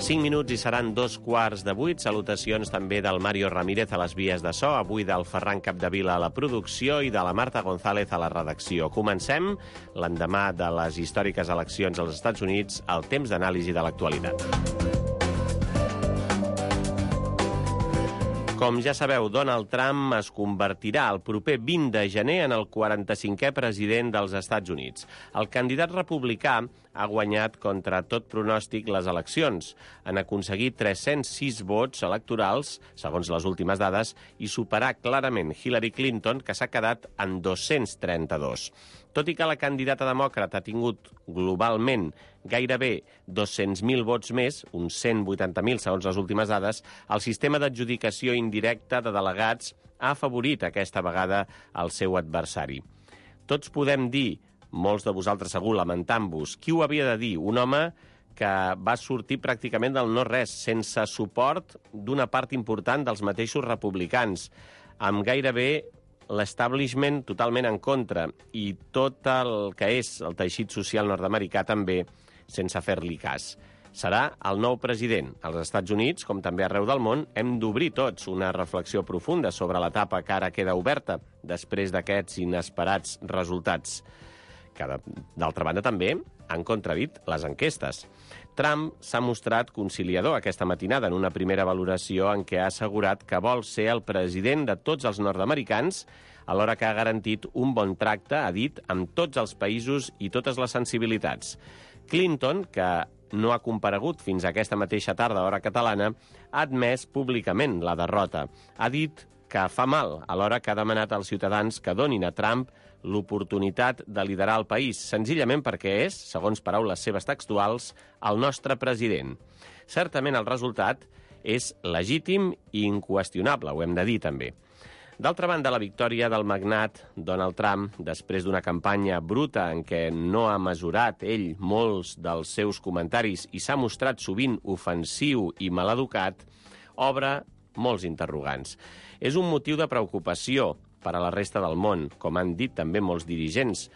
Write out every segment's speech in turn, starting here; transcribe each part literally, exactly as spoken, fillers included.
cinc minuts i seran dos quarts de vuit. Salutacions també del Mario Ramírez a les vies de so, avui del Ferran Capdevila a la producció i de la Marta González a la redacció. Comencem l'endemà de les històriques eleccions als Estats Units, el temps d'anàlisi de l'actualitat. Com ja sabeu, Donald Trump es convertirà el proper vint de gener en el quaranta-cinquè president dels Estats Units. El candidat republicà ha guanyat contra tot pronòstic les eleccions. Han aconseguit tres-cents sis vots electorals, segons les últimes dades, i superar clarament Hillary Clinton, que s'ha quedat en dos-cents trenta-dos. Tot i que la candidata demòcrata ha tingut globalment gairebé dos-cents mil vots més, uns cent vuitanta mil segons les últimes dades, el sistema d'adjudicació indirecta de delegats ha afavorit aquesta vegada el seu adversari. Tots podem dir, molts de vosaltres segur lamentant-vos, qui ho havia de dir? Un home que va sortir pràcticament del no-res, sense suport d'una part important dels mateixos republicans, amb gairebé l'establishment totalment en contra i tot el que és el teixit social nord-americà també sense fer-li cas. Serà el nou president. Als Estats Units, com també arreu del món, hem d'obrir tots una reflexió profunda sobre l'etapa que ara queda oberta després d'aquests inesperats resultats, que, d'altra banda, també han contradit les enquestes. Trump s'ha mostrat conciliador aquesta matinada en una primera valoració en què ha assegurat que vol ser el president de tots els nord-americans, alhora que ha garantit un bon tracte, ha dit, amb tots els països i totes les sensibilitats. Clinton, que no ha comparegut fins a aquesta mateixa tarda, hora catalana, ha admès públicament la derrota. Ha dit que fa mal, alhora que ha demanat als ciutadans que donin a Trump l'oportunitat de liderar el país, senzillament perquè és, segons paraules seves textuals, el nostre president. Certament el resultat és legítim i inqüestionable, ho hem de dir també. D'altra banda, la victòria del magnat Donald Trump, després d'una campanya bruta en què no ha mesurat ell molts dels seus comentaris i s'ha mostrat sovint ofensiu i maleducat, obre molts interrogants. És un motiu de preocupació per a la resta del món, com han dit també molts dirigents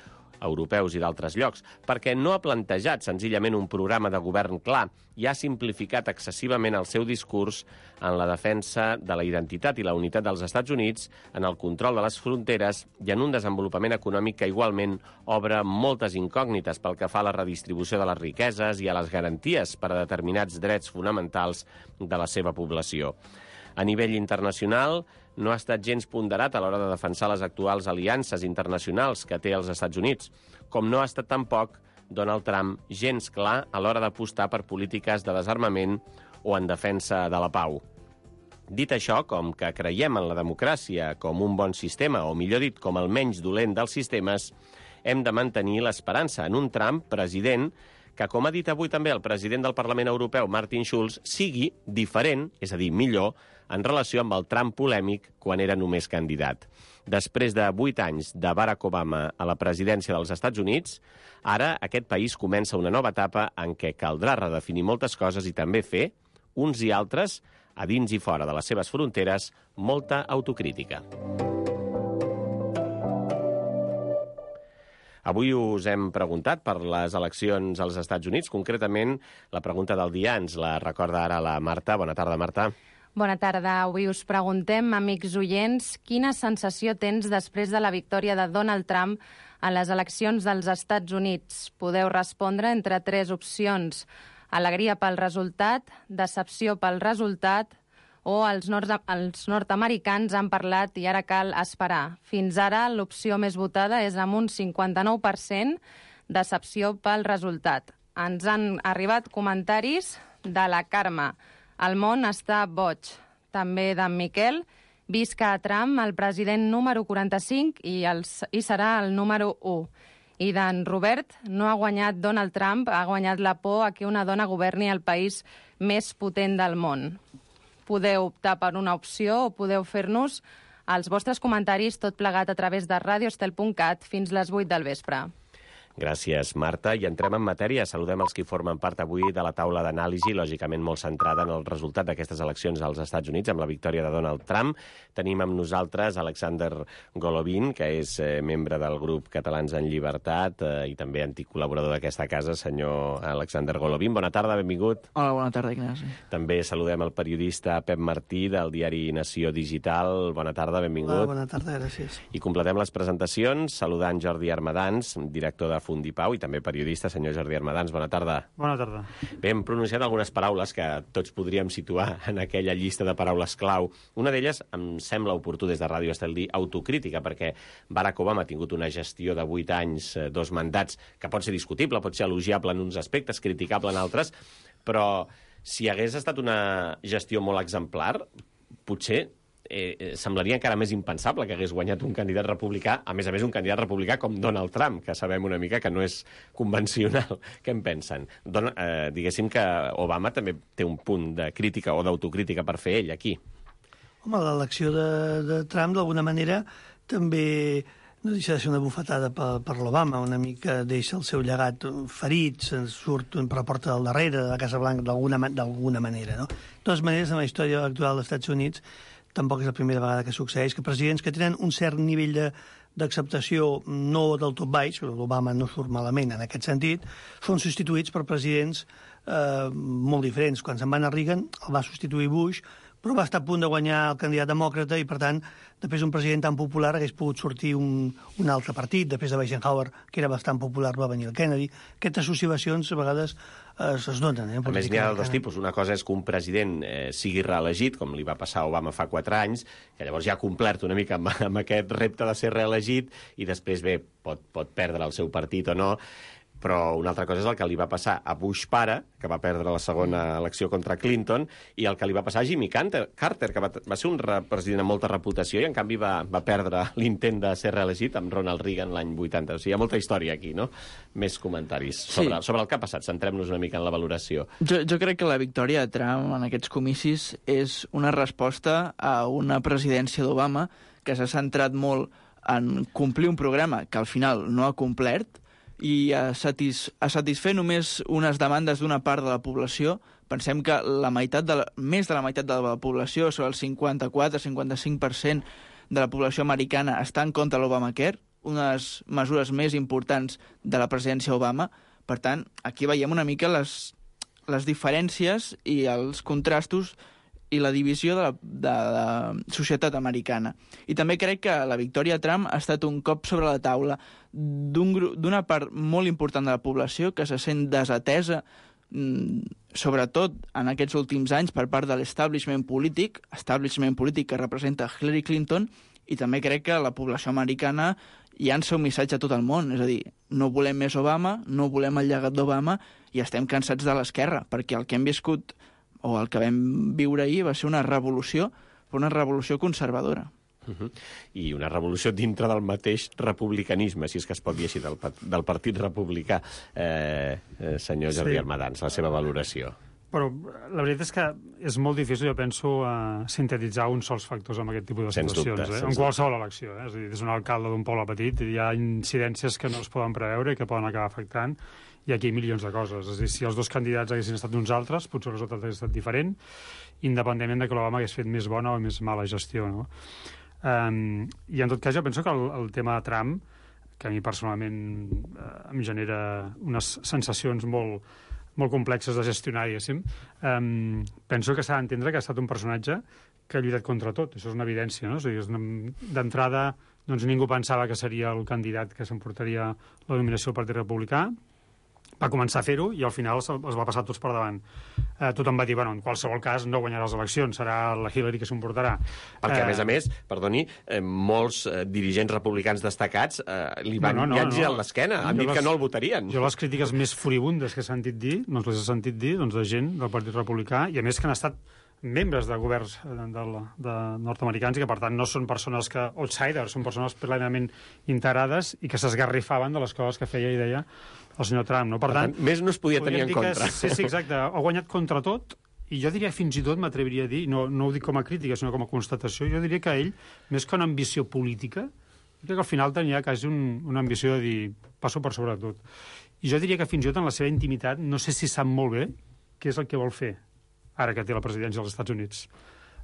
europeus i d'altres llocs, perquè no ha plantejat senzillament un programa de govern clar i ha simplificat excessivament el seu discurs en la defensa de la identitat i la unitat dels Estats Units, en el control de les fronteres i en un desenvolupament econòmic que igualment obre moltes incògnites pel que fa a la redistribució de les riqueses i a les garanties per a determinats drets fonamentals de la seva població. A nivell internacional, no ha estat gens ponderat a l'hora de defensar les actuals aliances internacionals que té els Estats Units, com no ha estat tampoc Donald Trump gens clar a l'hora d'apostar per polítiques de desarmament o en defensa de la pau. Dit això, com que creiem en la democràcia com un bon sistema, o millor dit, com el menys dolent dels sistemes, hem de mantenir l'esperança en un Trump president que, com ha dit avui també el president del Parlament Europeu, Martin Schulz, sigui diferent, és a dir, millor, en relació amb el Trump polèmic quan era només candidat. Després de vuit anys de Barack Obama a la presidència dels Estats Units, ara aquest país comença una nova etapa en què caldrà redefinir moltes coses i també fer, uns i altres, a dins i fora de les seves fronteres, molta autocrítica. Avui us hem preguntat per les eleccions als Estats Units. Concretament, la pregunta del dia ens la recorda ara la Marta. Bona tarda, Marta. Bona tarda. Avui us preguntem, amics oients, quina sensació tens després de la victòria de Donald Trump a les eleccions dels Estats Units? Podeu respondre entre tres opcions. Alegria pel resultat, decepció pel resultat o els, nord els nord-americans han parlat i ara cal esperar. Fins ara l'opció més votada és amb un cinquanta-nou per cent, decepció pel resultat. Ens han arribat comentaris de la Carme. El món està boig. També d'en Miquel. Visca a Trump, el president número quaranta-cinc i, els, i serà el número u. I d'en Robert, no ha guanyat Donald Trump, ha guanyat la por a que una dona governi el país més potent del món. Podeu optar per una opció o podeu fer-nos els vostres comentaris tot plegat a través de radio estel punt cat fins les vuit del vespre. Gràcies, Marta. I entrem en matèria. Saludem els que formen part avui de la taula d'anàlisi, lògicament molt centrada en el resultat d'aquestes eleccions als Estats Units, amb la victòria de Donald Trump. Tenim amb nosaltres Alexander Golovin, que és eh, membre del grup Catalans en Llibertat eh, i també antic col·laborador d'aquesta casa. Senyor Alexander Golovin, bona tarda, benvingut. Hola, bona tarda, Ignasi. També saludem el periodista Pep Martí, del diari Nació Digital. Bona tarda, benvingut. Hola, bona tarda, gràcies. I completem les presentacions saludant Jordi Armadans, director de Fundipau i també periodista. Senyor Jordi Armadans, bona tarda. Bona tarda. Bé, hem pronunciat algunes paraules que tots podríem situar en aquella llista de paraules clau. Una d'elles em sembla oportú des de Ràdio Estel dir autocrítica, perquè Barack Obama ha tingut una gestió de vuit anys, dos mandats, que pot ser discutible, pot ser elogiable en uns aspectes, criticable en altres, però si hagués estat una gestió molt exemplar, potser Eh, semblaria encara més impensable que hagués guanyat un candidat republicà, a més a més un candidat republicà com Donald Trump, que sabem una mica que no és convencional. Què en pensen? Don, eh, diguéssim que Obama també té un punt de crítica o d'autocrítica per fer ell aquí. Home, l'elecció de, de Trump, d'alguna manera, també no deixa de ser una bufetada per, per l'Obama, una mica deixa el seu llegat ferit, se'n surt per la porta del darrere de la Casa Blanca d'alguna manera, no? De totes maneres, en la història actual dels Estats Units, tampoc és la primera vegada que succeeix, que presidents que tenen un cert nivell de, d'acceptació no del tot baix, però l'Obama no surt malament en aquest sentit, són substituïts per presidents eh, molt diferents. Quan se'n va anar Reagan, el va substituir Bush, però va estar a punt de guanyar el candidat demòcrata i, per tant, després d'un president tan popular hagués pogut sortir un, un altre partit. Després de Eisenhower, que era bastant popular, va venir el Kennedy. Aquestes associacions, a vegades, es, es donen. Eh, a més, n'hi ha dos tipus. Una cosa és que un president eh, sigui reelegit, com li va passar a Obama fa quatre anys, que llavors ja ha complert una mica amb, amb aquest repte de ser reelegit, i després, bé, pot, pot perdre el seu partit o no. Però una altra cosa és el que li va passar a Bush pare, que va perdre la segona elecció contra Clinton, i el que li va passar a Jimmy Carter, que va, va ser un president amb molta reputació i, en canvi, va, va perdre l'intent de ser reelegit amb Ronald Reagan l'any vuitanta. O sigui, hi ha molta història aquí, no? Més comentaris sobre, sí. sobre el que ha passat. Centrem-nos una mica en la valoració. Jo, jo crec que la victòria de Trump en aquests comicis és una resposta a una presidència d'Obama que s'ha centrat molt en complir un programa que al final no ha complert, i a, satis, a satisfer només unes demandes d'una part de la població. Pensem que la meitat de la, més de la meitat de la població, sobre el cinquanta-quatre a cinquanta-cinc per cent de la població americana, està en contra de l'Obamacare, unes mesures més importants de la presidència Obama. Per tant, aquí veiem una mica les, les diferències i els contrastos i la divisió de la, de la societat americana. I també crec que la victòria de Trump ha estat un cop sobre la taula d'una part molt important de la població que se sent desatesa, sobretot en aquests últims anys, per part de l'establishment polític, establishment polític que representa Hillary Clinton, i també crec que la població americana llança un missatge a tot el món, és a dir, no volem més Obama, no volem el llegat d'Obama i estem cansats de l'esquerra, perquè el que hem viscut o el que vam viure ahir va ser una revolució, però una revolució conservadora. Uh -huh. I una revolució dintre del mateix republicanisme, si és que es pot dir així, del, del Partit Republicà. Eh, eh, senyor Jordi sí. Armadans, la seva valoració. Però la veritat és que és molt difícil, jo penso, uh, sintetitzar uns sols factors en aquest tipus de sens situacions. Dubte, eh? En qualsevol elecció. Eh? És a dir, és un alcalde d'un poble petit, hi ha incidències que no es poden preveure i que poden acabar afectant, i aquí hi ha milions de coses. És a dir, si els dos candidats haguessin estat uns altres, potser el resultat hagués estat diferent, independentment de que l'Obama hagués fet més bona o més mala gestió, no? Um, I en tot cas jo penso que el, el tema de Trump, que a mi personalment uh, em genera unes sensacions molt, molt complexes de gestionar, diguéssim, um, penso que s'ha d'entendre que ha estat un personatge que ha lluitat contra tot. Això és una evidència, no? És a dir, d'entrada, doncs, ningú pensava que seria el candidat que s'emportaria la nominació del Partit Republicà. Va començar a fer-ho i al final els va passar tots per davant. Eh, tothom va dir, bueno, en qualsevol cas no guanyarà les eleccions, serà la Hillary que s'emportarà. Perquè, eh... a més a més, perdoni, eh, molts eh, dirigents republicans destacats eh, li van no, no, no, girar no. l'esquena, han jo dit les, que no el votarien. Jo les crítiques més furibundes que he sentit dir, doncs les he sentit dir doncs, de gent del Partit Republicà, i a més que han estat membres de governs de, de, de nord-americans i que, per tant, no són persones que outsiders, són persones plenament integrades i que s'esgarrifaven de les coses que feia i deia el senyor Trump. No? Per, per tant, tant, més no es podia tenir en contra. Sí, sí, exacte. Ha guanyat contra tot i jo diria, fins i tot, m'atreviria a dir, no, no ho dic com a crítica, sinó com a constatació, jo diria que ell, més que una ambició política, Jo crec que al final tenia quasi un, una ambició de dir passo per sobre tot. I jo diria que fins i tot en la seva intimitat no sé si sap molt bé què és el que vol fer ara que té la presidència dels Estats Units.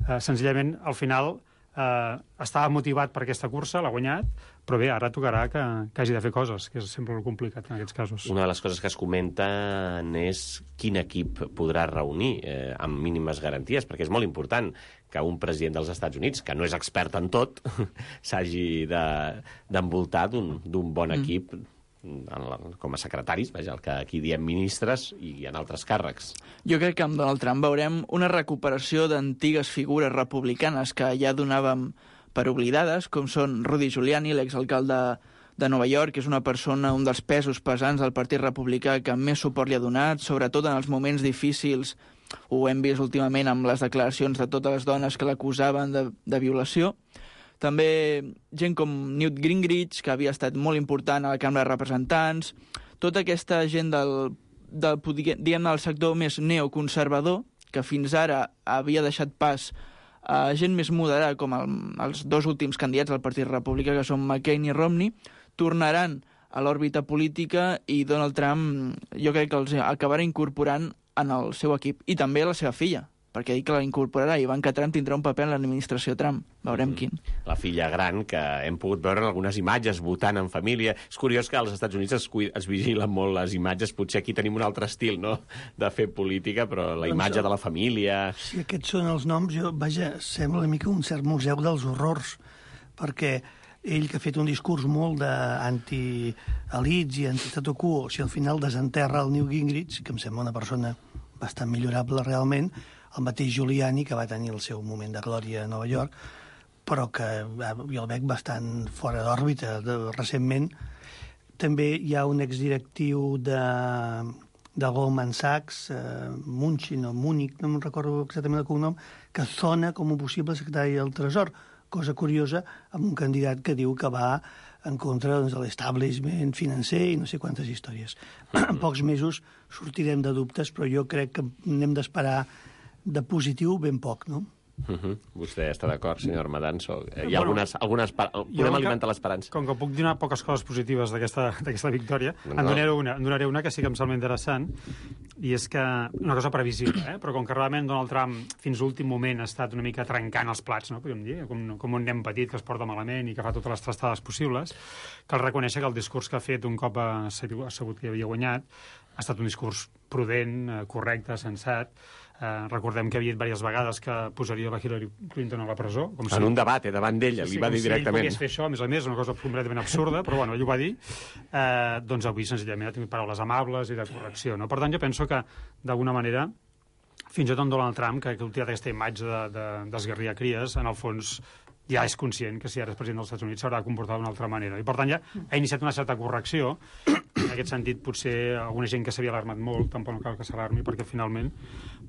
Uh, senzillament, al final, uh, estava motivat per aquesta cursa, l'ha guanyat, però bé, ara tocarà que, que hagi de fer coses, que és sempre el complicat en aquests casos. Una de les coses que es comenten és quin equip podrà reunir eh, amb mínimes garanties, perquè és molt important que un president dels Estats Units, que no és expert en tot, s'hagi d'envoltar de, d'un bon equip mm. en la, com a secretaris, vaja, el que aquí diem ministres, i en altres càrrecs. Jo crec que amb Donald Trump veurem una recuperació d'antigues figures republicanes que ja donàvem per oblidades, com són Rudy Giuliani, l'exalcalde de Nova York, que és una persona, un dels pesos pesants del Partit Republicà que més suport li ha donat, sobretot en els moments difícils. Ho hem vist últimament amb les declaracions de totes les dones que l'acusaven de, de violació. També gent com Newt Gingrich, que havia estat molt important a la Cambra de Representants. Tota aquesta gent del, del, diguem, del sector més neoconservador, que fins ara havia deixat pas a gent més moderada, com el, els dos últims candidats del Partit Republicà, que són McCain i Romney, tornaran a l'òrbita política i Donald Trump jo crec que els acabarà incorporant en el seu equip, i també la seva filla, perquè ha dit que la incorporarà, i Ivanka Trump tindrà un paper en l'administració Trump. Veurem mm. quin. La filla gran, que hem pogut veure en algunes imatges, votant en família. És curiós que als Estats Units es, es vigilen molt les imatges. Potser aquí tenim un altre estil, no?, de fer política, però la imatge doncs, de la família... Si aquests són els noms, jo, vaja, sembla una mica un cert museu dels horrors, perquè ell, que ha fet un discurs molt d'anti-elits i anti-statu quo, si al final desenterra el Newt Gingrich, que em sembla una persona bastant millorable realment, el mateix Giuliani, que va tenir el seu moment de glòria a Nova York, però que jo el veig bastant fora d'òrbita recentment. També hi ha un exdirectiu de, de Goldman Sachs, eh, Munchin o Múnich, no me'n recordo exactament el cognom, que sona com un possible secretari del Tresor, cosa curiosa, amb un candidat que diu que va en contra doncs, de l'establishment financer i no sé quantes històries. En pocs mesos sortirem de dubtes, però jo crec que n'hem d'esperar de positiu ben poc, no? Uh -huh. Vostè està d'acord, senyor Madanzo? Hi ha bueno, algunes... algunes podem alimentar l'esperança. Com que puc donar poques coses positives d'aquesta victòria, no. en, donaré una, en donaré una que sí que em sembla interessant, i és que una cosa previsible, eh? Però com que realment Donald Trump fins a l'últim moment ha estat una mica trencant els plats, no? Podríem dir, com, com un nen petit que es porta malament i que fa totes les trastades possibles, cal reconèixer que el discurs que ha fet un cop ha sabut que havia guanyat ha estat un discurs prudent, correcte, sensat. Uh, recordem que havia dit diverses vegades que posaria la Hillary Clinton a la presó. Com si... En un debat, eh, davant d'ella, sí, li va dir si directament. Si ell pogués fer això, a més a més, una cosa completament absurda, però bueno, ell ho va dir. Uh, doncs avui, senzillament, ha tingut paraules amables i de correcció. No? Per tant, jo penso que, d'alguna manera, fins i tot en Donald Trump, que, que ha utilat aquesta imatge d'esgarriar de, de, cries, en el fons ja és conscient que si ara és president dels Estats Units s'haurà de comportar d'una altra manera. I, per tant, ja ha iniciat una certa correcció. En aquest sentit, potser alguna gent que s'havia alarmat molt, tampoc no cal que s'alarmi, perquè finalment,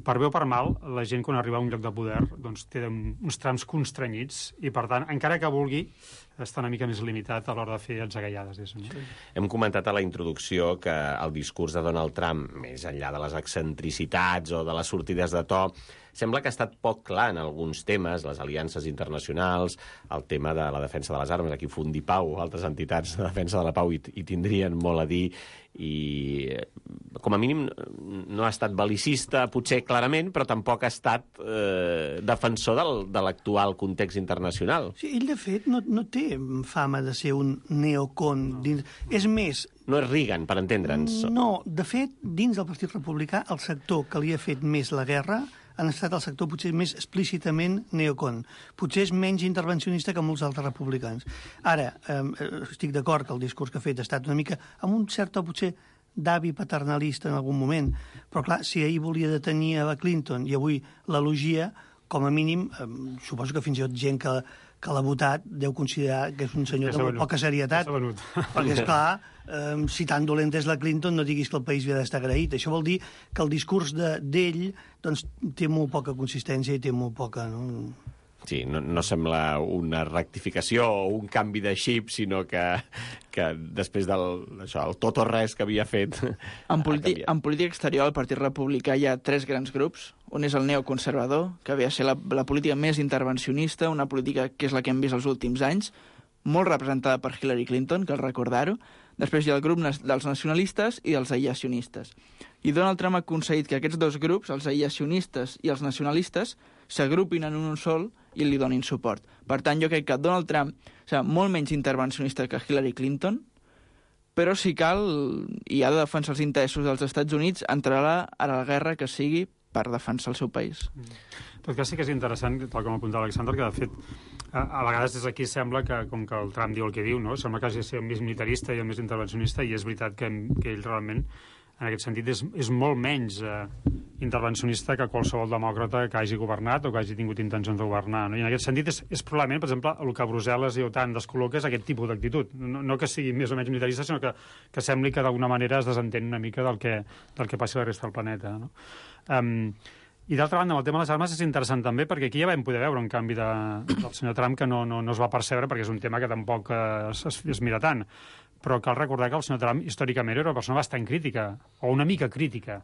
per bé o per mal, la gent quan arriba a un lloc de poder doncs, té uns trams constrenyits i, per tant, encara que vulgui, està una mica més limitat a l'hora de fer atzagaiades. No? Sí. Hem comentat a la introducció que el discurs de Donald Trump, més enllà de les excentricitats o de les sortides de to, sembla que ha estat poc clar en alguns temes, les aliances internacionals, el tema de la defensa de les armes, aquí Fundipau, altres entitats de defensa de la pau hi, hi tindrien molt a dir, i com a mínim no ha estat bel·licista, potser clarament, però tampoc ha estat eh, defensor del, de l'actual context internacional. Sí, ell, de fet, no, no té fama de ser un neocon. No. Dins... És més... No és Reagan, per entendre'ns. No, de fet, dins del Partit Republicà, el sector que li ha fet més la guerra han estat el sector potser més explícitament neocon. Potser és menys intervencionista que molts altres republicans. Ara, eh, estic d'acord que el discurs que ha fet ha estat una mica amb un cert, potser, d'avi paternalista en algun moment, però clar, si ahir volia detenir a la Clinton i avui l'elogia, com a mínim, eh, suposo que fins i tot gent que, que l'ha votat deu considerar que és un senyor de molt poca serietat, perquè, esclar, eh, si tan dolent és la Clinton, no diguis que el país havia d'estar agraït. Això vol dir que el discurs d'ell doncs, té molt poca consistència i té molt poca... No? Sí, no, no sembla una rectificació o un canvi de xip, sinó que, que després del això, el tot o res que havia fet... En, politi en política exterior, al Partit Republicà hi ha tres grans grups. Un és el neoconservador, que havia de ser la, la política més intervencionista, una política que és la que hem vist els últims anys, molt representada per Hillary Clinton, cal recordar-ho. Després hi ha el grup dels nacionalistes i dels aïllacionistes. I Donald Trump ha aconseguit que aquests dos grups, els aïllacionistes i els nacionalistes, s'agrupin en un sol i li donin suport. Per tant, jo crec que Donald Trump serà molt menys intervencionista que Hillary Clinton, però si cal, i ha de defensar els interessos dels Estats Units, entrarà a la guerra que sigui per defensar el seu país. En tot cas, sí que és interessant, tal com apuntava Alexander, que de fet, a, a vegades des d'aquí sembla que, com que el Trump diu el que diu, no? Sembla que hagi de ser el més militarista i el més intervencionista, i és veritat que, que ell realment, en aquest sentit, és, és molt menys eh, intervencionista que qualsevol demòcrata que hagi governat o que hagi tingut intencions de governar. No? I en aquest sentit és, és probablement, per exemple, el que Brussel·les i OTAN descol·loca és aquest tipus d'actitud. No, no que sigui més o menys militarista, sinó que, que sembli que d'alguna manera es desentén una mica del que, del que passi a la resta del planeta. No? Um, I d'altra banda, amb el tema de les armes és interessant també, perquè aquí ja vam poder veure un canvi de, del senyor Trump que no, no, no es va percebre, perquè és un tema que tampoc es, es, es mira tant. Però cal recordar que el senyor Trump històricament era una persona bastant crítica, o una mica crítica,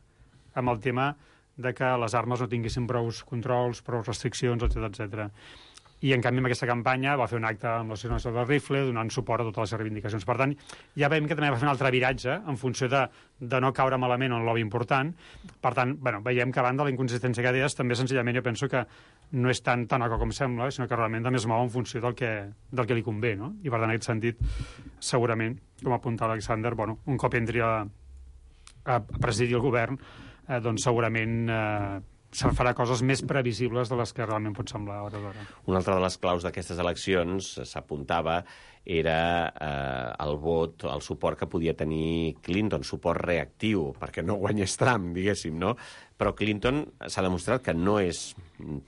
amb el tema de que les armes no tinguessin prou controls, prou restriccions, etcètera, etcètera. I, en canvi, amb aquesta campanya va fer un acte amb l'Associació del Rifle, donant suport a totes les reivindicacions. Per tant, ja veiem que també va fer un altre viratge en funció de, de no caure malament en el lobby important. Per tant, bueno, veiem que, a banda de la inconsistència que deies, també senzillament jo penso que no és tan tan com sembla, sinó que realment també es mou en funció del que, del que li convé, no? I, per tant, en aquest sentit, segurament, com apuntava Alexander, bueno, un cop entri a, a presidir el govern, eh, doncs segurament eh, se'n farà coses més previsibles de les que realment pot semblar a hora d'hora. Una altra de les claus d'aquestes eleccions, s'apuntava, era eh, el vot, el suport que podia tenir Clinton, suport reactiu, perquè no guanyés Trump, diguéssim, no? Però Clinton s'ha demostrat que no és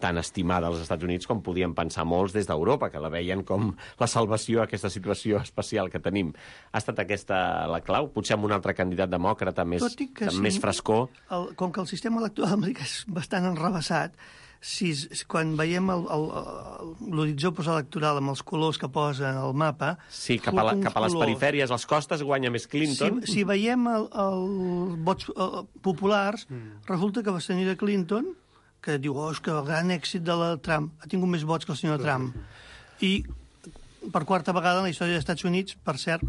tan estimada als Estats Units com podien pensar molts des d'Europa, que la veien com la salvació a aquesta situació especial que tenim. Ha estat aquesta la clau? Potser amb un altre candidat demòcrata més, amb sí, més frescor? El, com que el sistema electoral americà és bastant enrevessat, si, quan veiem l'horitzó postelectoral amb els colors que posen al mapa... Sí, cap a, la, cap a les colors. Perifèries, les costes, guanya més Clinton. Si, si veiem els vots el, populars, mm. resulta que la senyora Clinton, que diu, oh, és que el gran èxit de la Trump, ha tingut més vots que el senyor Trump. I per quarta vegada en la història dels Estats Units, per cert,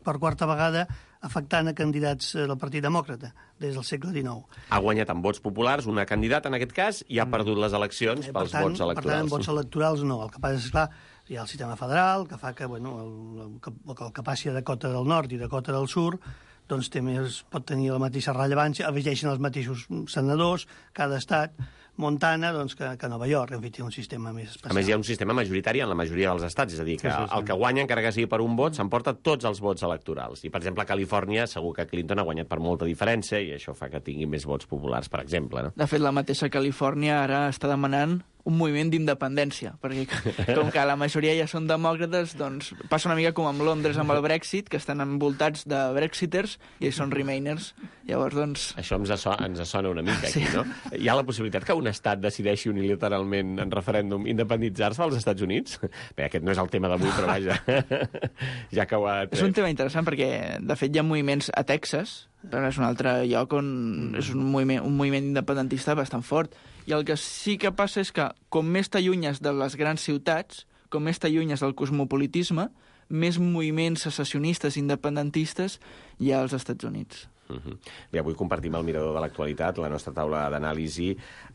per quarta vegada afectant a candidats del Partit Demòcrata des del segle dinou. Ha guanyat amb vots populars una candidata, en aquest cas, i ha perdut les eleccions eh, pels tant, vots electorals. Per tant, en vots electorals no. El que passa és, clar, hi ha el sistema federal, que fa que, bueno, el, el, el, el que passi a Dakota del Nord i Dakota del Sud doncs té més, pot tenir la mateixa rellevància, elegeixen els mateixos senadors, cada estat, Montana, doncs, que, que Nova York, en fi, té un sistema més especial. A més, hi ha un sistema majoritari en la majoria dels estats, és a dir, que sí, sí, sí. el que guanya, encara que sigui per un vot, s'emporta tots els vots electorals. I, per exemple, a Califòrnia, segur que Clinton ha guanyat per molta diferència i això fa que tingui més vots populars, per exemple. No? De fet, la mateixa Califòrnia ara està demanant un moviment d'independència, perquè com que la majoria ja són demòcrates, doncs passa una mica com amb Londres amb el Brexit, que estan envoltats de brexiters i són remainers. Llavors, doncs... Això ens, so ens sona una mica aquí, sí. No? Hi ha la possibilitat que un estat decideixi unilateralment en referèndum independitzar-se als Estats Units? Bé, aquest no és el tema d'avui, però vaja, ja que ho ha tret. És un tema interessant perquè, de fet, hi ha moviments a Texas, però és un altre lloc on mm. és un moviment, un moviment independentista bastant fort. I el que sí que passa és que, com més t'allunyes de les grans ciutats, com més t'allunyes del cosmopolitisme, més moviments secessionistes independentistes hi ha als Estats Units. Uh-huh. Bé, avui compartim el mirador de l'actualitat, la nostra taula d'anàlisi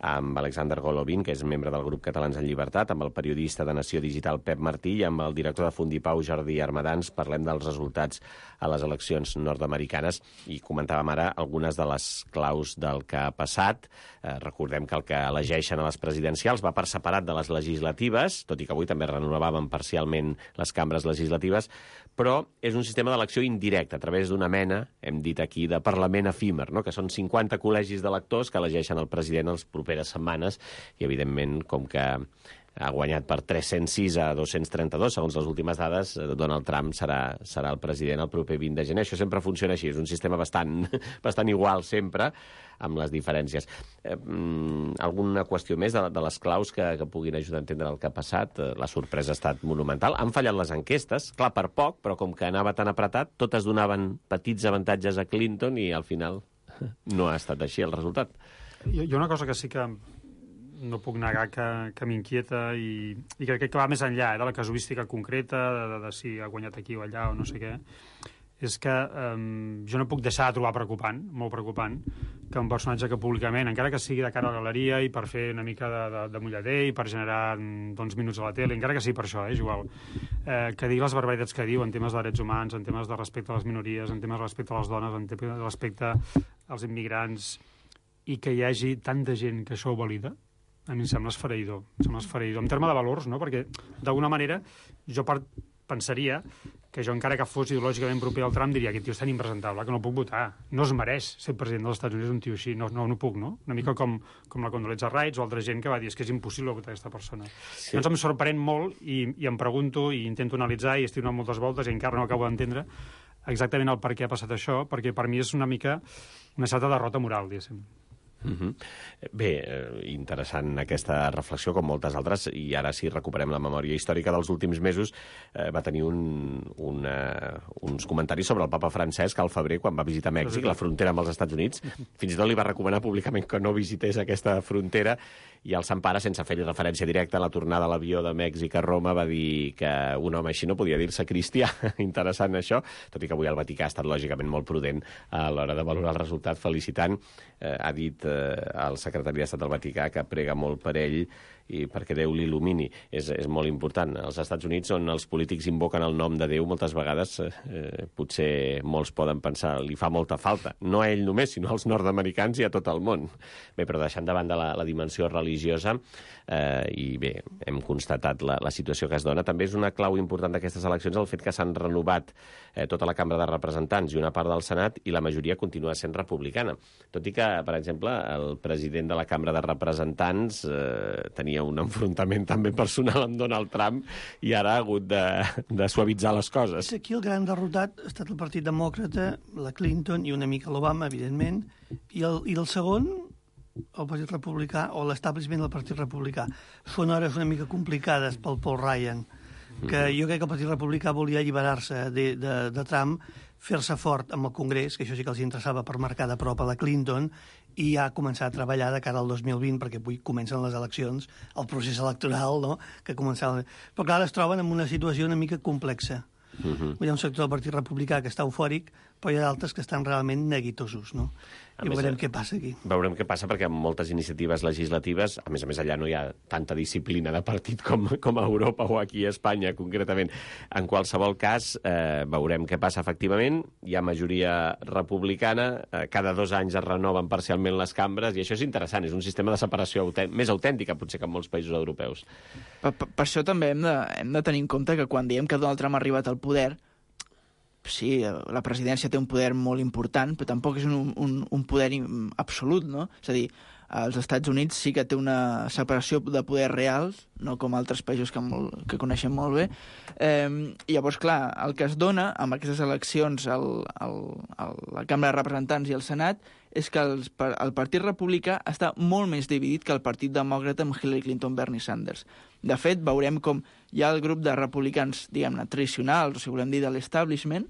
amb Alexander Golovin, que és membre del grup Catalans en Llibertat, amb el periodista de Nació Digital Pep Martí i amb el director de Fundipau Jordi Armadans. Parlem dels resultats a les eleccions nord-americanes i comentàvem ara algunes de les claus del que ha passat. Eh, recordem que el que elegeixen a les presidencials va per separat de les legislatives, tot i que avui també renovàvem parcialment les cambres legislatives, però és un sistema d'elecció indirecte, a través d'una mena, hem dit aquí, de Parlament efímer, no? Que són cinquanta col·legis d'electors que elegeixen el president les properes setmanes i, evidentment, com que ha guanyat per tres-cents sis a dos-cents trenta-dos, segons les últimes dades, Donald Trump serà, serà el president el proper vint de gener. Això sempre funciona així, és un sistema bastant, bastant igual sempre, amb les diferències. Eh, alguna qüestió més de, de les claus que, que puguin ajudar a entendre el que ha passat? La sorpresa ha estat monumental. Han fallat les enquestes, clar, per poc, però com que anava tan apretat, totes donaven petits avantatges a Clinton i al final no ha estat així el resultat. Hi ha una cosa que sí que no puc negar que, que m'inquieta i, i crec que va més enllà eh, de la casuística concreta, de, de, de si ha guanyat aquí o allà o no sé què, és que eh, jo no puc deixar de trobar preocupant, molt preocupant, que un personatge que públicament, encara que sigui de cara a la galeria i per fer una mica de, de, de mullader i per generar doncs, minuts a la tele, encara que sigui per això, eh, és igual, eh, que digui les barbaritats que diu en temes de drets humans, en temes de respecte a les minories, en temes de respecte a les dones, en temes de respecte als immigrants, i que hi hagi tanta gent que això ho valida, a mi em sembla esfereïdor, em sembla esfereïdor. En termes de valors, no? Perquè, d'alguna manera, jo part, pensaria que jo, encara que fos ideològicament proper al Trump, diria que aquest tio és tan impresentable que no puc votar. No es mereix ser president dels Estats Units un tio així. No, no, no puc, no? Una mica com, com la Condoleezza Rice o altra gent que va dir és que és impossible votar aquesta persona. Sí. Llavors em sorprèn molt i, i em pregunto i intento analitzar i estic donant moltes voltes i encara no acabo d'entendre exactament el per què ha passat això, perquè per mi és una mica una certa derrota moral, diguéssim. Uh-huh. Bé, eh, interessant aquesta reflexió, com moltes altres, i ara si recuperem la memòria històrica dels últims mesos, eh, va tenir un, una, uns comentaris sobre el papa Francesc al febrer, quan va visitar Mèxic, la frontera amb els Estats Units. Fins i tot li va recomanar públicament que no visités aquesta frontera, i el Sant Pare, sense fer-hi referència directa a la tornada a l'avió de Mèxic a Roma, va dir que un home així no podia dir-se cristià. Interessant això, tot i que avui el Vaticà ha estat lògicament molt prudent a l'hora de valorar el resultat, felicitant. Eh, ha dit eh, el secretari d'Estat del Vaticà que prega molt per ell i perquè Déu l'il·lumini. És, és molt important. Als Estats Units, on els polítics invoquen el nom de Déu, moltes vegades eh, potser molts poden pensar li fa molta falta. No a ell només, sinó als nord-americans i a tot el món. Bé, però deixant de banda la, la dimensió religiosa, eh, i bé, hem constatat la, la situació que es dona, també és una clau important d'aquestes eleccions el fet que s'han renovat eh, tota la Cambra de Representants i una part del Senat, i la majoria continua sent republicana. Tot i que, per exemple, el president de la Cambra de Representants eh, tenia un enfrontament també personal amb Donald Trump i ara ha hagut de, de suavitzar les coses. Aquí el gran derrotat ha estat el Partit Demòcrata, la Clinton i una mica l'Obama, evidentment, i el, i el segon, el Partit Republicà, o l'establishment del Partit Republicà. Són hores una mica complicades pel Paul Ryan, que jo crec que el Partit Republicà volia alliberar-se de, de, de Trump, fer-se fort amb el Congrés, que això sí que els interessava per marcar de prop a la Clinton, i ja començar a treballar de cara al dos mil vint, perquè avui comencen les eleccions, el procés electoral, no?, que començava... Però clar, es troben en una situació una mica complexa. Uh-huh. Hi ha un sector del Partit Republicà que està eufòric, però hi ha d'altres que estan realment neguitosos, no? A I més, veurem què passa aquí. Veurem què passa, perquè amb moltes iniciatives legislatives, a més a més allà no hi ha tanta disciplina de partit com, com a Europa o aquí a Espanya, concretament. En qualsevol cas, eh, veurem què passa efectivament. Hi ha majoria republicana, eh, cada dos anys es renoven parcialment les cambres, i això és interessant, és un sistema de separació autènt, més autèntica, potser, que en molts països europeus. Per, per, per això també hem de, hem de tenir en compte que quan diem que Donald Trump ha arribat al poder, sí, la presidència té un poder molt important, però tampoc és un, un, un poder absolut, no? És a dir, als Estats Units sí que té una separació de poder reals, no com altres països que, molt, que coneixem molt bé. Eh, I llavors, clar, el que es dona amb aquestes eleccions al, al, a la Cambra de Representants i al Senat és que els, el Partit Republicà està molt més dividit que el Partit Demòcrata amb Hillary Clinton, Bernie Sanders. De fet, veurem com hi ha el grup de republicans, diguem-ne, tradicionals, o si volem dir de l'establishment,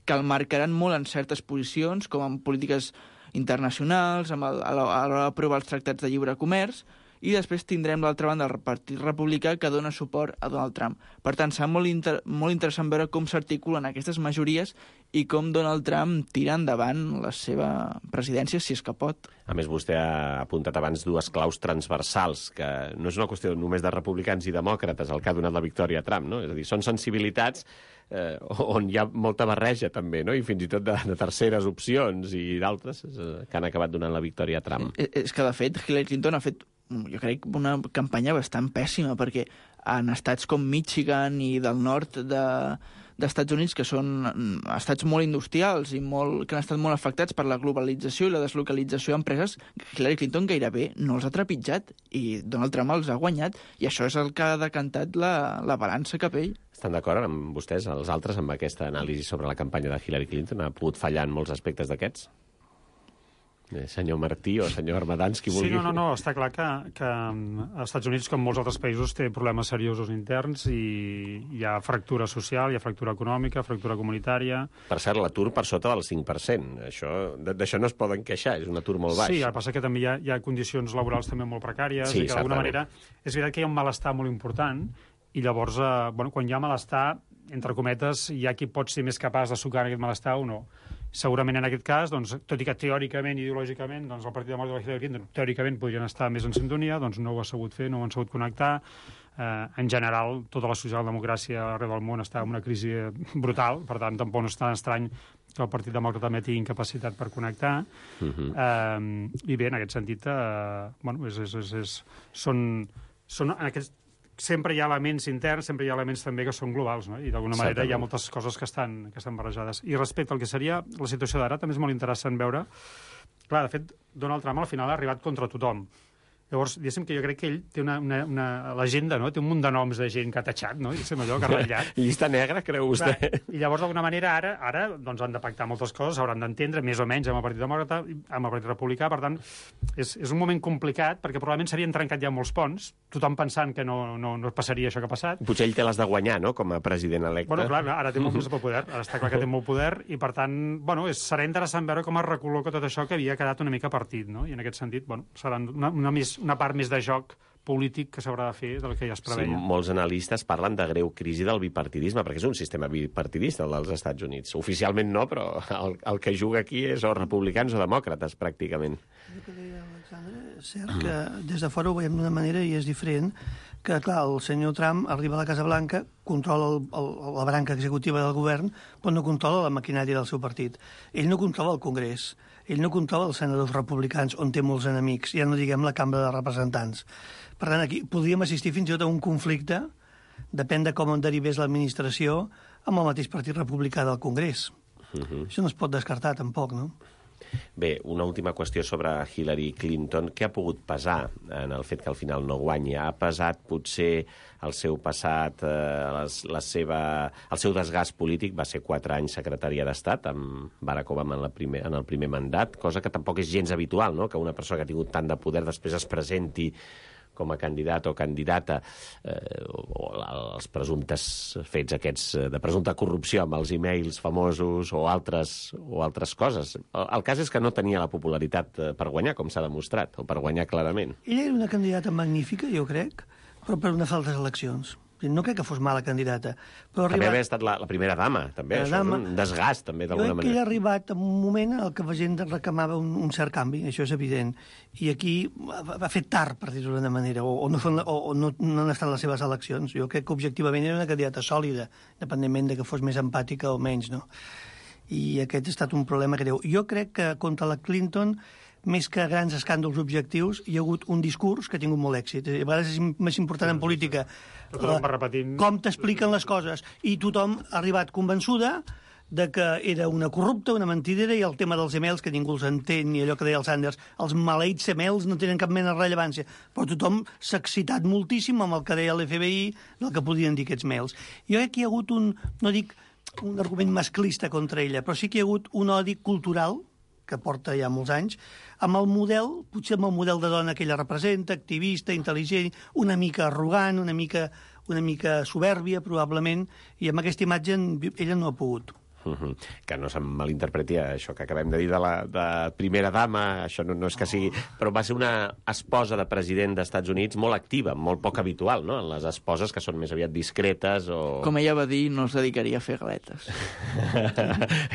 que el marcaran molt en certes posicions, com en polítiques internacionals, amb el, a l'hora d'aprovar els tractats de lliure comerç, i després tindrem l'altra banda el Partit Republicà que dona suport a Donald Trump. Per tant, serà molt, inter molt interessant veure com s'articulen aquestes majories i com Donald Trump tira endavant la seva presidència, si és que pot. A més, vostè ha apuntat abans dues claus transversals, que no és una qüestió només de republicans i demòcrates el que ha donat la victòria a Trump, no? És a dir, són sensibilitats eh, on hi ha molta barreja, també, no? I fins i tot de, de terceres opcions i d'altres eh, que han acabat donant la victòria a Trump. És, és que, de fet, Hillary Clinton ha fet, jo crec, una campanya bastant pèssima, perquè en estats com Michigan i del nord de, d'Estats Units, que són estats molt industrials i molt, que han estat molt afectats per la globalització i la deslocalització d'empreses, Hillary Clinton gairebé no els ha trepitjat i Donald Trump els ha guanyat, i això és el que ha decantat la, la balança cap a ell. Estan d'acord amb vostès, els altres, amb aquesta anàlisi sobre la campanya de Hillary Clinton? Ha pogut fallar en molts aspectes d'aquests? Senyor Martí o senyor Armadans, qui vulgui. Sí, no, no, no, està clar que, que als Estats Units, com molts altres països, té problemes seriosos interns i hi ha fractura social, hi ha fractura econòmica, fractura comunitària... Per cert, l'atur per sota del cinc per cent. Això, d'això no es poden queixar, és un atur molt baix. Sí, el que passa que també hi ha, hi ha condicions laborals també molt precàries sí, i que d'alguna manera és veritat que hi ha un malestar molt important i llavors, eh, bueno, quan hi ha malestar, entre cometes, hi ha qui pot ser més capaç de sucar aquest malestar o no. Segurament en aquest cas, doncs, tot i que teòricament, ideològicament, doncs, el Partit Demòcrata de Hillary Clinton teòricament podrien estar més en sintonia, doncs no ho ha sabut fer, no ho han sabut connectar. Eh, en general, tota la socialdemocràcia arreu del món està en una crisi brutal, per tant, tampoc no és tan estrany que el Partit Demòcrata també tingui incapacitat per connectar. Uh -huh. eh, I bé, en aquest sentit, eh, bueno, és, és, és, és, són, són en aquests sempre hi ha elements interns, sempre hi ha elements també que són globals, no? I d'alguna manera hi ha moltes coses que estan, que estan barrejades. I respecte al que seria la situació d'ara, també és molt interessant veure... Clar, de fet, Donald Trump al final ha arribat contra tothom. Llavors, diguéssim que jo crec que ell té una, una, una l'agenda, no? Té un munt de noms de gent que ha tatxat, no? I sembla allò que ha ratllat. Llista negra, creu vostè? Clar, i llavors, d'alguna manera, ara ara doncs, han de pactar moltes coses, hauran d'entendre, més o menys, amb el Partit Demòcrata, amb el Partit Republicà, per tant, és, és un moment complicat, perquè probablement s'havien trencat ja molts ponts, tothom pensant que no, no, no passaria això que ha passat. Potser ell té les de guanyar, no?, com a president electe. Bueno, clar, ara té molt més poder, ara està clar que té molt poder, i per tant, bueno, és, serà interessant veure com es recol·loca tot això que havia quedat una mica partit, no? I en aquest sentit, bueno, serà una, una, més, una part més de joc polític que s'haurà de fer del que ja es preveia. Sí, molts analistes parlen de greu crisi del bipartidisme, perquè és un sistema bipartidista, el dels Estats Units. Oficialment no, però el, el que juga aquí és o republicans o demòcrates, pràcticament. El que deia Alexandre, és cert que des de fora ho veiem d'una manera i és diferent, que, clar, el senyor Trump arriba a la Casa Blanca, controla el, el, la branca executiva del govern, però no controla la maquinària del seu partit. Ell no controla el Congrés, ell no controla els senadors republicans, on té molts enemics, ja no diguem la Cambra de Representants. Per tant, aquí podríem assistir fins i tot a un conflicte, depèn de com en derivés l'administració, amb el mateix Partit Republicà del Congrés. Uh -huh. Això no es pot descartar, tampoc, no? Bé, una última qüestió sobre Hillary Clinton. Què ha pogut pesar en el fet que al final no guanyi? Ha pesat potser el seu passat, eh, les, la seva, el seu desgast polític? Va ser quatre anys secretària d'Estat amb Barack Obama en, la primer, en el primer mandat, cosa que tampoc és gens habitual, no?, que una persona que ha tingut tant de poder després es presenti com a candidat o candidata, eh, o, o els presumptes fets aquests de presumpta corrupció amb els e-mails famosos o altres, o altres coses. El, el cas és que no tenia la popularitat per guanyar, com s'ha demostrat, o per guanyar clarament. Ella era una candidata magnífica, jo crec, però per unes altres eleccions. No crec que fos mala candidata. Però també arribat... haver estat la, la primera dama, també. La això dama... és un desgast, també, d'alguna manera. Jo crec que ella ha arribat en un moment en què la gent reclamava un, un cert canvi, això és evident. I aquí ha, ha fet tard, per dir-ho d'una manera, o, o, no, o, o no, no han estat les seves eleccions. Jo crec que objectivament era una candidata sòlida, independentment de que fos més empàtica o menys, no? I aquest ha estat un problema greu. Jo crec que contra la Clinton, més que grans escàndols objectius, hi ha hagut un discurs que ha tingut molt èxit. A vegades és més important en política la, com t'expliquen les coses. I tothom ha arribat convençuda de que era una corrupta, una mentidera, i el tema dels emails, que ningú els entén, ni allò que deia el Sanders, els maleïts emails no tenen cap mena de rellevància. Però tothom s'ha excitat moltíssim amb el que deia l'F B I, del que podien dir aquests mails. Jo crec que hi ha hagut un, no dic un argument masclista contra ella, però sí que hi ha hagut un odi cultural, que porta ja molts anys, amb el model, potser amb el model de dona que ella representa, activista, intel·ligent, una mica arrogant, una mica, una mica soberbia, probablement, i amb aquesta imatge ella no ha pogut. Uh-huh. Que no se'm malinterpreti això que acabem de dir de la de primera dama, això no, no és que sigui... Però va ser una esposa de president dels Estats Units molt activa, molt poc habitual, no?, en les esposes que són més aviat discretes o... Com ella va dir, no es dedicaria a fer galetes.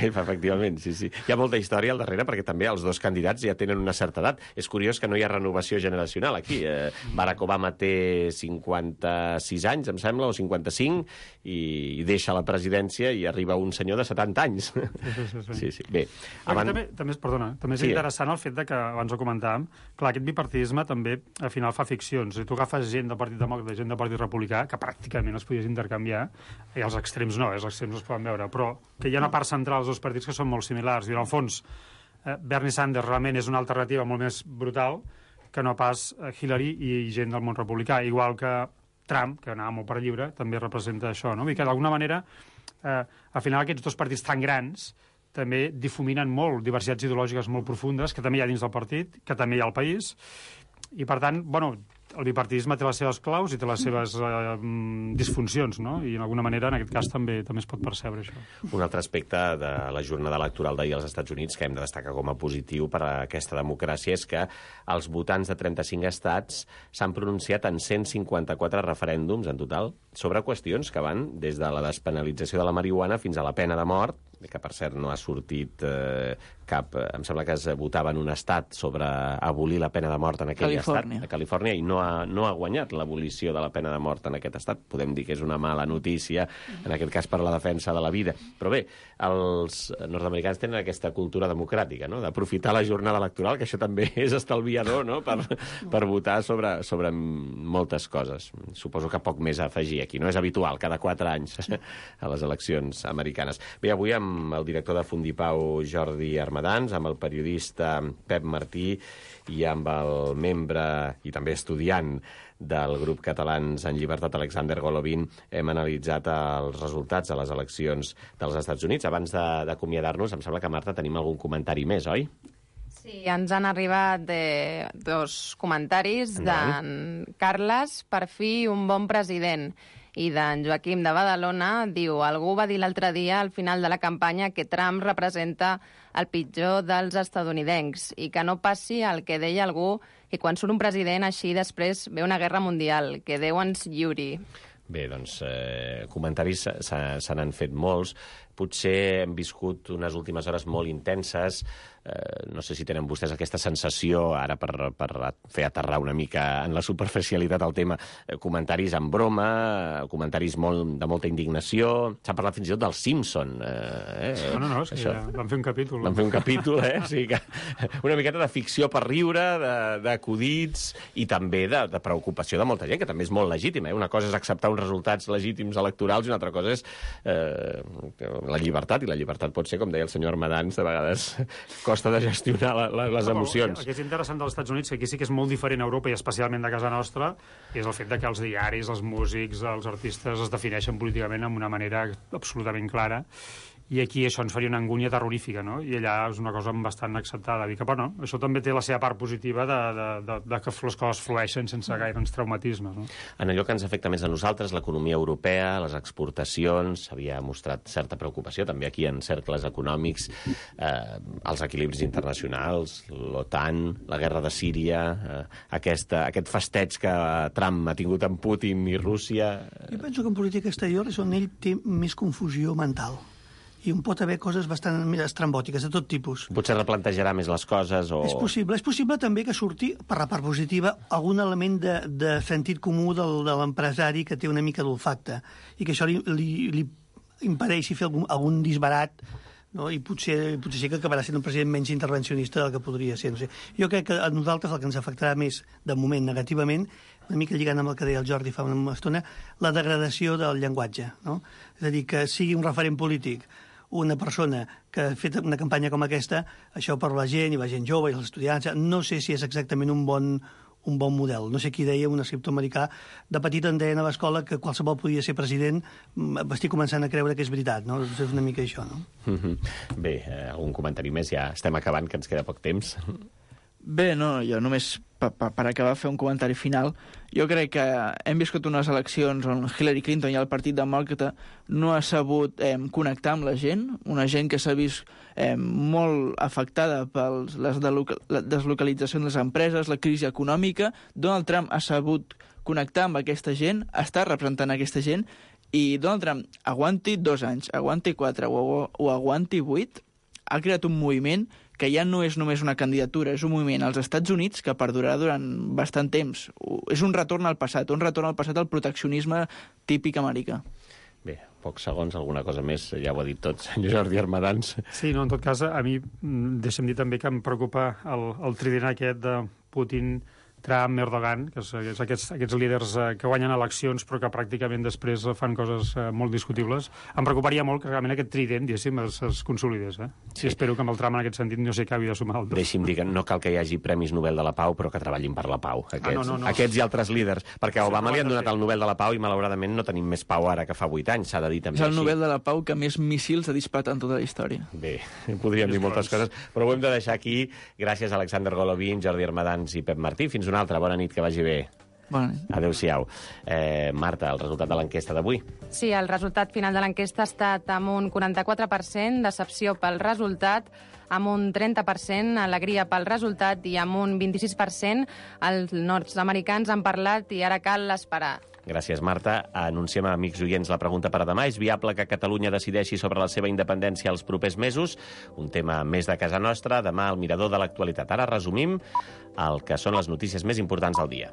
Efectivament, sí, sí. Hi ha molta història al darrere perquè també els dos candidats ja tenen una certa edat. És curiós que no hi ha renovació generacional aquí. Eh, Barack Obama té cinquanta-sis anys, em sembla, o cinquanta-cinc, i, i deixa la presidència i arriba un senyor de setanta anys. Sí, sí, sí. sí. sí, sí. Bé, abans... també, també, perdona, també és sí. interessant el fet de que, abans ho comentàvem, clar, aquest bipartidisme també al final fa ficcions. Si tu agafes gent del Partit Demòcrata i gent del Partit Republicà, que pràcticament els podies intercanviar, i els extrems no, els extrems no es poden veure, però que hi ha una part central dels dos partits que són molt similars. I en el fons, eh, Bernie Sanders realment és una alternativa molt més brutal que no pas Hillary i gent del món republicà, igual que Trump, que anava molt per lliure, també representa això, no? I que d'alguna manera, eh, al final aquests dos partits tan grans també difuminen molt diversitats ideològiques molt profundes, que també hi ha dins del partit, que també hi ha al país, i per tant, bueno, el bipartidisme té les seves claus i té les seves eh, disfuncions, no? I d'alguna manera, en aquest cas, també també es pot percebre això. Un altre aspecte de la jornada electoral d'ahir als Estats Units que hem de destacar com a positiu per a aquesta democràcia és que els votants de trenta-cinc estats s'han pronunciat en cent cinquanta-quatre referèndums en total sobre qüestions que van des de la despenalització de la marihuana fins a la pena de mort, que per cert no ha sortit eh, cap... Em sembla que es votava en un estat sobre abolir la pena de mort en aquell Califòrnia. estat, a Califòrnia, i no ha, no ha guanyat l'abolició de la pena de mort en aquest estat. Podem dir que és una mala notícia, en aquest cas per la defensa de la vida. Però bé, els nord-americans tenen aquesta cultura democràtica, no?, d'aprofitar la jornada electoral, que això també és estalviador, no?, per, per votar sobre, sobre moltes coses. Suposo que poc més a afegir aquí. No és habitual, cada quatre anys, a les eleccions americanes. Bé, avui amb el director de Fundipau, Jordi Armadans, amb el periodista Pep Martí i amb el membre i també estudiant del grup Catalans en Llibertat, Alexander Golovin, hem analitzat els resultats de les eleccions dels Estats Units. Abans d'acomiadar-nos, em sembla que, Marta, tenim algun comentari més, oi? Sí, ens han arribat de dos comentaris d'en Carles, per fi un bon president. I d'en Joaquim de Badalona diu: algú va dir l'altre dia al final de la campanya que Trump representa el pitjor dels estatunidencs i que no passi el que deia algú, que quan surt un president així després ve una guerra mundial, que Déu ens lliuri. Bé, doncs, eh, comentaris se, se n'han fet molts. Potser hem viscut unes últimes hores molt intenses. Eh, no sé si tenen vostès aquesta sensació, ara per, per fer aterrar una mica en la superficialitat del tema, eh, comentaris en broma, comentaris molt, de molta indignació. S'ha parlat fins i tot del Simpson. Eh, no, no, no, és que ja van fer un capítol. Van fer un capítol, eh? O sigui que una miqueta de ficció per riure, d'acudits i també de, de preocupació de molta gent, que també és molt legítima. Eh? Una cosa és acceptar uns resultats legítims electorals i una altra cosa és eh, la llibertat, i la llibertat pot ser, com deia el senyor Armadans, de vegades costa de gestionar la, la, les emocions. El que és interessant dels Estats Units, que aquí sí que és molt diferent a Europa i especialment de casa nostra, és el fet de que els diaris, els músics, els artistes es defineixen políticament amb una manera absolutament clara, i aquí això ens faria una angúnia terrorífica, no? I allà és una cosa bastant acceptada. I que, bueno, això també té la seva part positiva de, de, de, de que les coses flueixen sense gaires traumatismes, no? En allò que ens afecta més a nosaltres, l'economia europea, les exportacions, s'havia mostrat certa preocupació, també aquí en cercles econòmics, eh, els equilibris internacionals, l'OTAN, la guerra de Síria, eh, aquesta, aquest festeig que Trump ha tingut amb Putin i Rússia... Jo penso que en política exterior és on ell té més confusió mental. I on pot haver coses bastant més estrambòtiques, de tot tipus. Potser replantejarà més les coses o... És possible. És possible també que surti, per la part positiva, algun element de, de sentit comú del, de l'empresari que té una mica d'olfacte i que això li, li, li impedeixi fer algun, algun disbarat, no? I potser, potser sí que acabarà sent un president menys intervencionista del que podria ser. No sé. Jo crec que a nosaltres el que ens afectarà més, de moment, negativament, una mica lligant amb el que deia el Jordi fa una estona, la degradació del llenguatge, no? És a dir, que sigui un referent polític una persona que ha fet una campanya com aquesta, això per la gent, i la gent jove, i els estudiants, no sé si és exactament un bon, un bon model. No sé qui deia, un escriptor americà, de petit en deien a l'escola que qualsevol podia ser president, estic començant a creure que és veritat, no? És una mica això, no? Bé, eh, algun comentari més? Ja estem acabant, que ens queda poc temps. Bé, no, jo només per, per, per acabar fer un comentari final, jo crec que hem viscut unes eleccions on Hillary Clinton i el Partit Demòcrata no ha sabut eh, connectar amb la gent, una gent que s'ha vist eh, molt afectada per les deslocalitzacions de les empreses, la crisi econòmica. Donald Trump ha sabut connectar amb aquesta gent, està representant aquesta gent, i Donald Trump aguanti dos anys, aguanti quatre o, o aguanti vuit, ha creat un moviment que ja no és només una candidatura, és un moviment als Estats Units que perdurarà durant bastant temps. És un retorn al passat, un retorn al passat al proteccionisme típic americà. Bé, pocs segons, alguna cosa més, ja ho ha dit tot, senyor Jordi Armadans. Sí, no, en tot cas, a mi, deixa'm dir també que em preocupa el, el trident aquest de Putin, Trump, Erdogan, que és aquests, aquests líders eh, que guanyen eleccions però que pràcticament després fan coses eh, molt discutibles. Em preocuparia molt que realment aquest trident, diguéssim, es, es consolidés. Eh? Sí. I espero que amb el Trump en aquest sentit no s'hi acabi de sumar altres. Deixi'm dir que no cal que hi hagi Premis Nobel de la Pau, però que treballin per la pau. Aquests, ah, no, no, no. aquests i altres líders. Perquè a Obama li han donat el Nobel de la Pau i malauradament no tenim més pau ara que fa vuit anys, s'ha de dir també així. És el així. Nobel de la Pau que més míssils ha disparat en tota la història. Bé, podríem dir moltes coses, però ho hem de deixar aquí. Gràcies a Alexander Golovin, Jordi Armadans i Pep Martí. Fins una altra. Bona nit, que vagi bé. Bona nit. Adéu-siau. Eh, Marta, el resultat de l'enquesta d'avui. Sí, el resultat final de l'enquesta ha estat amb un quaranta-quatre per cent, decepció pel resultat, amb un trenta per cent, alegria pel resultat i amb un vint-i-sis per cent els nord-americans han parlat i ara cal esperar. Gràcies, Marta. Anunciem a amics oients la pregunta per a demà. És viable que Catalunya decideixi sobre la seva independència els propers mesos? Un tema més de casa nostra. Demà al Mirador de l'Actualitat. Ara resumim el que són les notícies més importants del dia.